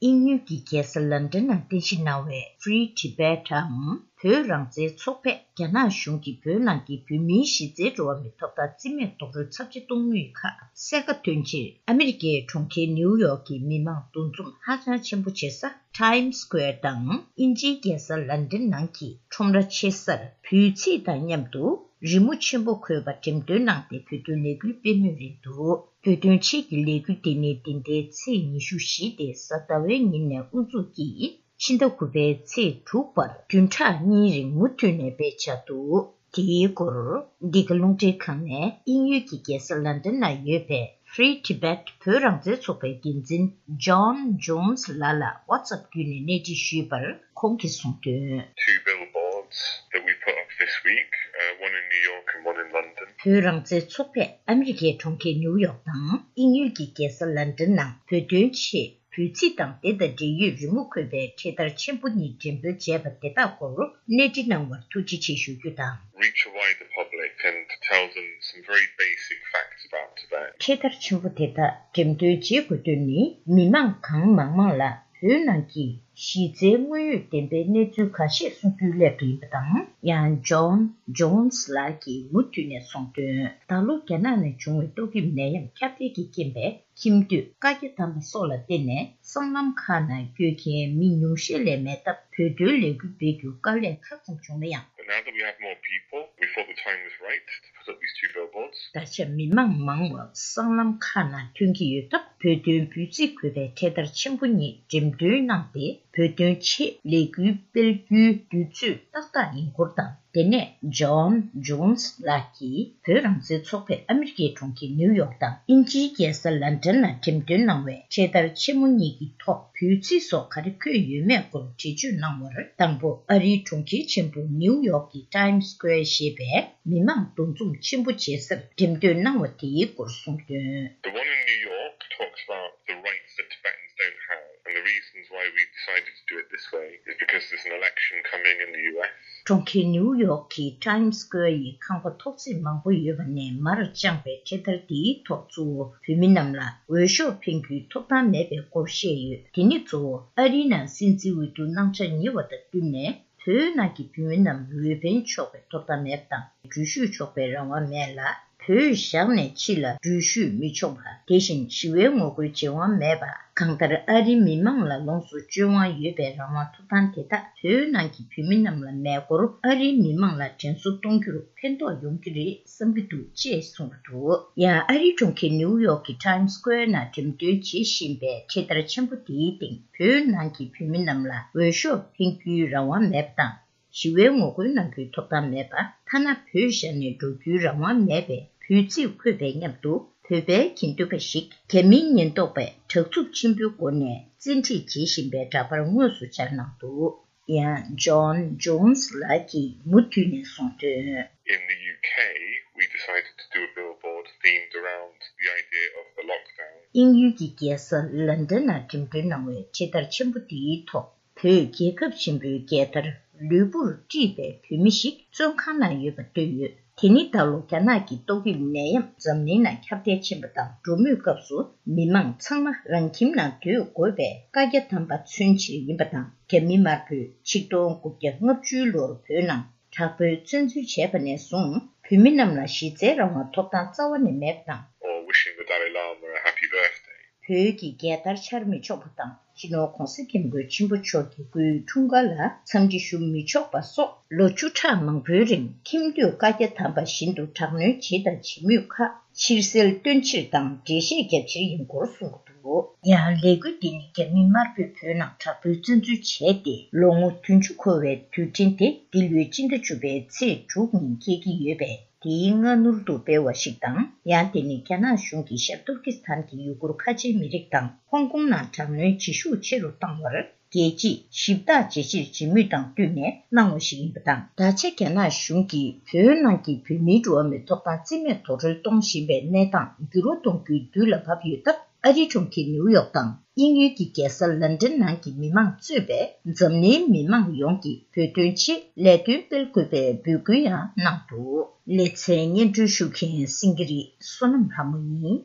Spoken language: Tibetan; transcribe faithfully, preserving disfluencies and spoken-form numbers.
དབྱིན་ཡུལ་གྱི་རྒྱལ་ས་ལན་ཌན་ནང་རྟེན་གཞི་གནང་བའི་Free Tibet འམ་བོད་རང་བཙན་ཚོགས་པས་རྒྱ་ནག་གཞུང་གིས་བོད་ནང་གི་བོད་མིའི་གཞི་རྩའི་འགྲོ་བ་མིའི་ཐོབ་ཐང་རྩིས་མེད་རྡོག་རོལ་ཚབས་ཆེ་གཏོང་མུས་ཁག་གསལ་ཁ་ཐོན་ཕྱིར། ཨ་མི་རི་ཀའི་གྲོང་ཁྱེར་ནིའུ་ཡོག་གི་མི་མང་འདུ་འཛོམས་ཧ་ཅང་ཆེན་པོ་བྱེད་ས་Times Square དང་དབྱིན་ཇིའི་རྒྱལ་ས་ལན་ཌན་ནང་གི་ཁྲོམ་ར་ཆེ་སར་བོད་ཚིག་དང་མཉམ་དུ་རི་མོ་ཆེན་པོ་འཁོད་པ་འགྲེམས་སྟོན་གནང་སྟེ་བོད་དོན་ལས་འགུལ་སྤེལ་མུས་རེད་འདུག་བོད་དོན་ཆེད་ཀྱི་ལས་འགུལ་འདི་ནི་འདི་ཟླའི་ཚེས་ཉི་ཤུ་བཞི་སྟེ་གཟའ་ཟླ་བའི་ཉིན་ནས་དབུ་འཛུགས་ཀྱིས་ཕྱི་ཟླ་དགུ་པའི་ཚེས་དྲུག་བར་བདུན་ཕྲག་གཉིས་རིང་མུ་མཐུད་ནས་སྤེལ་འཆར་འདུག་དེའི་སྐོར་འདི་ག་རླུང་འཕྲིན་ཁང་ནས་དབྱིན་ཡུལ་གྱི་རྒྱལ་ས་ལན་ཌན་ན་ཡོད་པའི་Free Tibet བོད་རང་བཙན་ཚོགས་པའི་འགན་འཛིན་John Jones ལགས་ལ་WhatsApp་བརྒྱུད་ནས་གནས་འདྲི་ཞུས་པར། ཁོང་གིས་གསུངས་དོན། Two billboards that we put up this week, uh, one in New York and one in London. བོད་རང་བཙན་ཚོགས་པས་ཨ་མི་རི་ཀའི་གྲོང་ཁྱེར་ནིའུ་ཡོག་དང་དབྱིན་ཡུལ་གྱི་རྒྱལ་ས་ལན་ཌན་ནང་བོད་དོན་ཆེད་བོད་ཚིག་དང་དེ་དང་འབྲེལ་ཡོད་རི་མོ་འཁོད་པའི་འཕྲེད་དར་ཆེན་པོ་གཉིས་འགྲེམས་སྤེལ་བྱས་པ་དེ་དག་སྐོར་གནས་འདྲི་གནང་བར་ཐུགས་རྗེ་ཆེ་ཞུ་རྒྱུ་དང་། Reach a wider public and tell them some very basic facts about Tibet. འཕྲེད་དར་ཆེན་པོ་དེ་དག་འགྲེམས་སྟོན་བྱེད་དགོས་དོན་ནི་མི་མང་གང་མང་མང་ལ། བོད་ནང་གི་གཞི་རྩའི་དངོས་ཡོད་བདེན་པའི་གནས་ཚུལ་ཁ་ཤས་གསུང་རྒྱུའི་སླད་དུ་ཡིན་པ་དང་། ཡང་John Jones ལགས་ཀྱིས་མུ་མཐུད་ནས་གསུངས་དོན། ད་ལོ་རྒྱ་ནག་ནས་བྱུང་བའི་ཏོག་དབྱིབས་ནད་ཡམས་ཁྱབ་གདལ་གྱི་རྐྱེན་པས་ཁྱིམ་སྡོད་བཀའ་རྒྱ་བསྡམས་པ་སོགས་ལ་བརྟེན་ནས་སྲང་ལམ་ཁག་ནང་སྐྱོད་མཁན་མི་ཉུང་ཤས་ལས་མེད་སྟབས་བོད་དོན་ལས་འགུལ་སྤེལ་རྒྱུར་དཀའ་ལས་ཁག་ཙམ་བྱུང་ན་ཡང་། But now that we have more people, we thought the time was right to put up these two billboards. ད་ཆ་མི་མང་མང་བ་སྲང་ལམ་ཁག་ནང་ཐོན་གྱི་ཡོད་སྟབས། བོད་དོན་འབོད་ཚིག་འཁོད་པའི་འཕྲེད་དར་ཆེན་པོ་གཉིས་འགྲེམས་སྟོན་གནང་སྟེ། བོད་དོན་ཆེད་ལས་འགུལ་སྤེལ་རྒྱུའི་དུས་ཚོད་ཏག་ཏག་ཡིན་སྐོར་དང་། དེ་ནས་John Jones ལགས་ཀྱིས་བོད་རང་བཙན་ཚོགས་པས་ཨ་མི་རི་ཀའི་གྲོང་ཁྱེར་ནིའུ་ཡོག་དང་དབྱིན་ཇིའི་རྒྱལ་ས་ལན་ཌན་ལ་འགྲེམས་སྟོན་གནང་བའི་འཕྲེད་དར་ཆེན་མོ་གཉིས་ཀྱི་ཐོག་བོད་ཚིག་སོགས་ག་རེ་འཁོད་ཡོད་མེད་སྐོར་འགྲེལ་བརྗོད་གནང་བར། དང་པོ། ཨ་རིའི་གྲོང་ཁྱེར་ཆེན་པོ་ནིའུ་ཡོག་གི་Times Square ཞེས་པའི་མི་མང་འདུ་འཛོམས་ཆེན་པོ་བྱེད་སར་འགྲེམས་སྟོན་གནང་བ་དེའི་སྐོར་གསུངས་དོན། The one in New York talks about the rights that Tibetans don't have, and the reasons why we decided to do it this way is because there's an election coming in the U S. གྲོང་ཁྱེར་ནིའུ་ཡོག་གི་Times Square ཡི་ཁང་པ་ཐོག་བརྩེགས་མང་པོ་ཡོད་པ་ནས་མར་དཔྱངས་པའི་འཕྲེད་དར་འདིའི་ཐོག་གཙོ་བོ་བོད་མི་རྣམས་ལ་འོས་ཤོག་འཕེན་རྒྱུའི་ཐོབ་ཐང་མེད་པའི་སྐོར་བཤད་ཡོད། དེ་ནི་གཙོ་བོ་ཨ་རིའི་ནང་སྲིད་འཛིན་འོས་བསྡུ་གནང་འཆར་ཉེ་བ་དང་བསྟུན་ནས། བོད་ནང་གི་བོད་མི་རྣམས་འོས་འཕེན་ཆོག་པའི་ཐོབ་ཐང་མེད་པ་དང་། འགྲུལ་བཞུད་ཆོག་པའི་རང་དབང་མེད་ལ། བོད་བཞག་ནས་ཕྱི་ལ་འགྲུལ་བཞུད་མི་ཆོག་པ། དེ་བཞིན་ཞི་བའི་ངོ་རྒོལ་བྱེད་དབང་མེད་པ། གང་ལྟར་ཨ་རིའི་མི་མང་ལ་ལོངས་སུ་སྤྱོད་དབང་ཡོད་པའི་རང་དབང་ཐོབ་ཐང་དེ་དག་བོད་ནང་གི་བོད་མི་རྣམས་ལ་མེད་སྐོར། ཨ་རིའི་མི་མང་ལ་དྲན་གསོ་གཏོང་རྒྱུར་ཕན་ཐོགས་ཡོང་གི་རེད་བསམ་གྱི་འདུག་ཅེས་གསུངས་པ་འདུག་ཡང་ཨ་རིའི་གྲོང་ཁྱེར་ནིའུ་ཡོག་གི་Times Square ནང་འགྲེམས་སྟོན་བྱེད་བཞིན་པའི་འཕྲེད་དར་ཆེན་པོ་དེའི་སྟེང་། བོད་ནང་གི་བོད་མི་རྣམས་ལ་འོས་ཤོག་འཕེན་རྒྱུའི་རང་དབང་མེད་པ་དང་། ཞི་བའི་ངོ་རྒོལ་གནང་རྒྱུའི་ཐོབ་ཐང་མེད་པ། ཐ་ན་བོད་བཞག་ནས་འགྲོ་རྒྱུའི་རང་དབང་མེད་པའི་བོད་ཚིག་འཁོད་པའི་མཉམ་དུ། བོད་པའི་དགེ་འདུན་པ་ཞིག་རྒྱ་མིའི་ཉེན་རྟོག་པས་དྲག་རྩུབ་ཆེན་པོའི་སྒོ་ནས་བཙན་ཁྲིད་བྱེད་བཞིན་པའི་འདྲ་པར་དངོས་སུ་སྦྱར་གནང་འདུག་ཡང་John Jones ལགས་ཀྱིས་མུ་མཐུད་ནས་གསུངས་དོན། In the U K, we decided to do a billboard themed around the idea of the lockdown. དབྱིན་ཡུལ་གྱི་རྒྱལ་ས་ལན་ཌན་ནང་འགྲེམས་སྟོན་གནང་བའི་འཕྲེད་དར་ཆེན་པོ་འདིའི་ཐོག་བོད་རྒྱལ་ཁབ་ཆེན་པོའི་རྒྱལ་དར་ལུས་པོར་དཀྲིས་པའི་བོད་མི་ཞིག་བཙོན་ཁང་ནང་ཡོད་པ་བཏོན་ཡོད། དེ་ནི་ད་ལོ་རྒྱ་ནག་གི་ཏོག་དབྱིབས་ནད་ཡམས་འཛམ་གླིང་ནང་ཁྱབ་གདལ་ཕྱིན་པ་དང་། འགྲོ་མུས་སྐབས་སུ་མི་མང་ཚང་མ་རང་ཁྱིམ་ནང་སྡོད་དགོས་པའི་བཀའ་རྒྱ་བསྡམས་པ་མཚོན་ཕྱིར་ཡིན་པ་དང་། རྒྱ་མི་དམར་པོས་ཆིག་སྟོང་དགུ་བརྒྱ་ལྔ་བཅུའི་ལོར་བོད་ནང་དྲག་པོའི་བཙན་འཛུལ་བྱས་པ་ནས་བཟུང་། བོད་མི་རྣམས་ལ་གཞི་རྩའི་རང་དབང་ཐོབ་ཐང་རྩ་བ་ནས་མེད་པ་དང་། Or wishing the Dalai Lama a happy birthday. བོད་ཀྱི་རྒྱལ་དར་འཕྱར་མི་ཆོག་པ་དང་། སྤྱི་ནོར་༧གོང་ས་༧སྐྱབས་མགོན་ཆེན་པོ་མཆོག་གི་སྐུའི་འཁྲུངས་སྐར་ལ་འཚམས་འདྲི་ཞུ་མི་ཆོག་པ་སོགས། ལོ་བཅུ་ཕྲག་མང་པོའི་རིང་ཁྱིམ་སྡོད་བཀའ་རྒྱ་བསྡམས་པ་བཞིན་དུ་དྲག་གནོན་བྱེད་དང་བྱེད་མུས་ཁག་ཕྱིར་སེལ་སྟོན་ཕྱིར་དང་འགྲེལ་བཤད་རྒྱབ་ཕྱིར་ཡིན་སྐོར་གསུངས་འདུག་ཡང་ལས་འགུལ་འདི་ནི་རྒྱ་མི་དམར་པོས་བོད་ནང་དྲག་པོའི་བཙན་འཛུལ་བྱས་ཏེ་ལོ་ངོ་བདུན་ཅུ་འཁོར་བའི་དུས་དྲན་དེ་འདི་ལོའི་སྤྱི་ཟླ་བཅུ་པའི་ཚེས་དྲུག་ཉིན་འཁེལ་གྱི་ཡོད་པས། དེའི་སྔ་སྣུར་དུ་སྤེལ་བ་ཞིག་དང་། ཡང་དེ་ནི་རྒྱ་ནག་གཞུང་གིས་ཤར་ཏུར་ཀི་སི་ཐན་གྱི་ཡུ་གུར་ཁ་ཆེའི་མི་རིགས་དང་ཧོང་ཀོང་ནང་དྲག་གནོན་བྱེད་ཤུགས་ཆེ་རུ་བཏང་བར་རྒྱལ་སྤྱིས་ཞིབ་བརྟག་བྱེད་ཕྱིར་བྱེད་མུས་དང་བསྟུན་ནས་གནང་བ་ཞིག་ཡིན་པ་དང་། ད་ཆ་རྒྱ་ནག་གཞུང་གིས་བོད་ནང་གི་བོད་མིའི་འགྲོ་བ་མིའི་ཐོབ་ཐང་རྩིས་མེད་རྡོག་རོལ་གཏོང་བཞིན་པའི་གནས་སྟངས་འགྱུར་བ་གཏོང་རྒྱུའི་དུས་ལ་བབ་ཡོད་སྟབས། ཨ་རིའི་གྲོང་ཁྱེར་ནིའུ་ཡོག་དང་དབྱིན་ཡུལ་གྱི་རྒྱལ་ས་ལན་ཌན་ནང་གི་མི་མང་གཙོས་པའི་འཛམ་གླིང་མི་མང་ཡོངས་ཀྱིས་བོད་དོན་ཆེད་ལས་དོན་སྤེལ་དགོས་པའི་འབོད་སྐུལ་ཡང་གནང་འདུག་ལེ་ཚན་སྙན་སྒྲོན་ཞུ་མཁན་སེང་གེ་རི་བསོད་ནམས་ལྷ་མོ་ཡིན།